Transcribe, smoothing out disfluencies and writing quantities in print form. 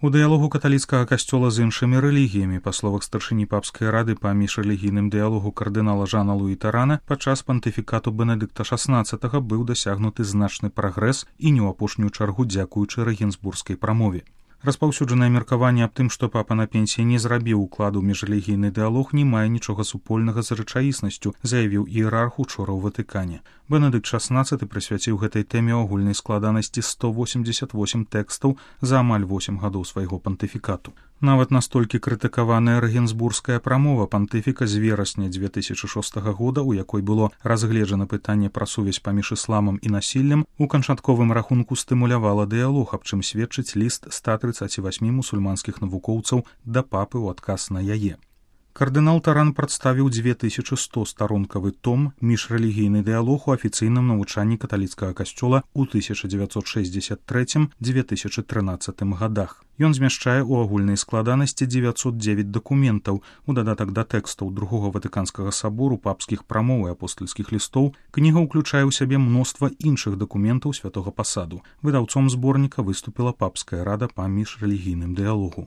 У дыялогу каталіцкага касцёла з іншымі рэлігіямі, па словах старшыні папскай рады па міжрэлігійным дыялогу кардынала Жана Луі Тарана, падчас пантыфікату Бенедыкта XVI быў дасягнуты значны прагрэс і не ў апошнюю чаргу дзякуючы рэгенсбургскай прамове. Распаўсюджанае меркаванне аб тым, што папа на пенсіі не зрабіў укладу ў міжрэлігійны дыялог, не мае нічога супольнага з рэчаіснасцю, заявіў іерарх учора ў Ватыкане. Бенедыкт XVI прысвяціў гэтай тэме агульнай складанасці 188 тэкстаў за амаль 8 гадоў свайго пантыфікату. Нават настолькі крытыкаваная рэгенсбургская прамова пантыфіка з верасня 2006 года, у якой было разгледжана пытанне пра сувязь паміж ісламам і насіллем, у канчатковым рахунку стымулявала дыялог, аб чым сведчыць ліст 138 мусульманскіх навукоўцаў да папы ў адказ на яе. Кардынал Таран прадставіў 2100-старонкавы том «Міжрэлігійны дыялог у афіцыйным навучанні каталіцкага касцёла ў 1963-2013 годах. Ён змяшчае ў агульнай складанасці 909 дакументаў. У дадатак да тэкстаў другога Ватыканскага сабору, папскіх прамоў і апостальскіх лістоў, кніга ўключае ў сябе мноства іншых дакументаў святога пасаду. Выдаўцом зборніка выступіла папская рада па міжрэлігійным дыялогу.